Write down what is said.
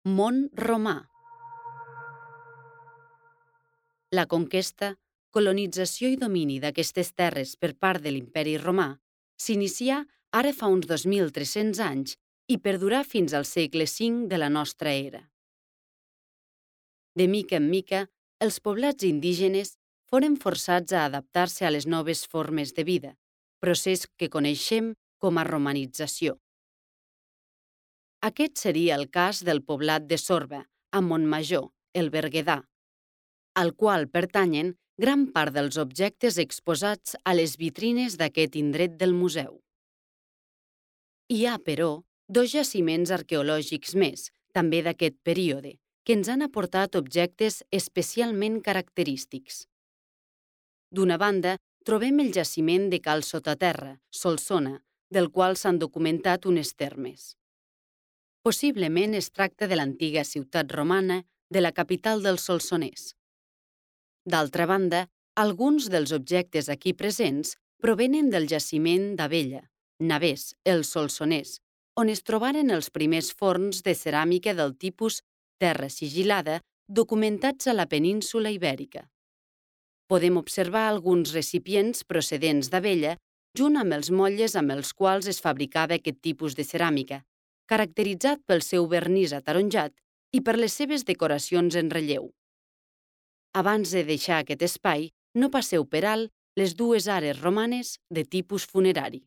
Món romà. La conquesta, colonització i domini d'aquestes terres per part de l'Imperi Romà s'inicià ara fa uns 2.300 anys i perdurà fins al segle V de la nostra era. De mica en mica, els poblats indígenes foren forçats a adaptar-se a les noves formes de vida, procés que coneixem com a romanització. Aquest seria el cas del poblat de Sorba, a Montmajor, el Berguedà, al qual pertanyen gran part dels objectes exposats a les vitrines d'aquest indret del museu. Hi ha, però, dos jaciments arqueològics més, també d'aquest període, que ens han aportat objectes especialment característics. D'una banda, trobem el jaciment de Cal Sotaterra, Solsona, del qual s'han documentat unes termes. Possiblement es tracta de l'antiga ciutat romana de la capital dels solsonès. D'altra banda, alguns dels objectes aquí presents provenen del jaciment d'Abella, Navès, el Solsonès, on es trobaren els primers forns de ceràmica del tipus terra sigil·lada documentats a la península Ibèrica. Podem observar alguns recipients procedents d'Abella junt amb els motlles amb els quals es fabricava aquest tipus de ceràmica, caracteritzat pel seu vernís ataronjat i per les seves decoracions en relleu. Abans de deixar aquest espai, no passeu per alt les dues ares romanes de tipus funerari.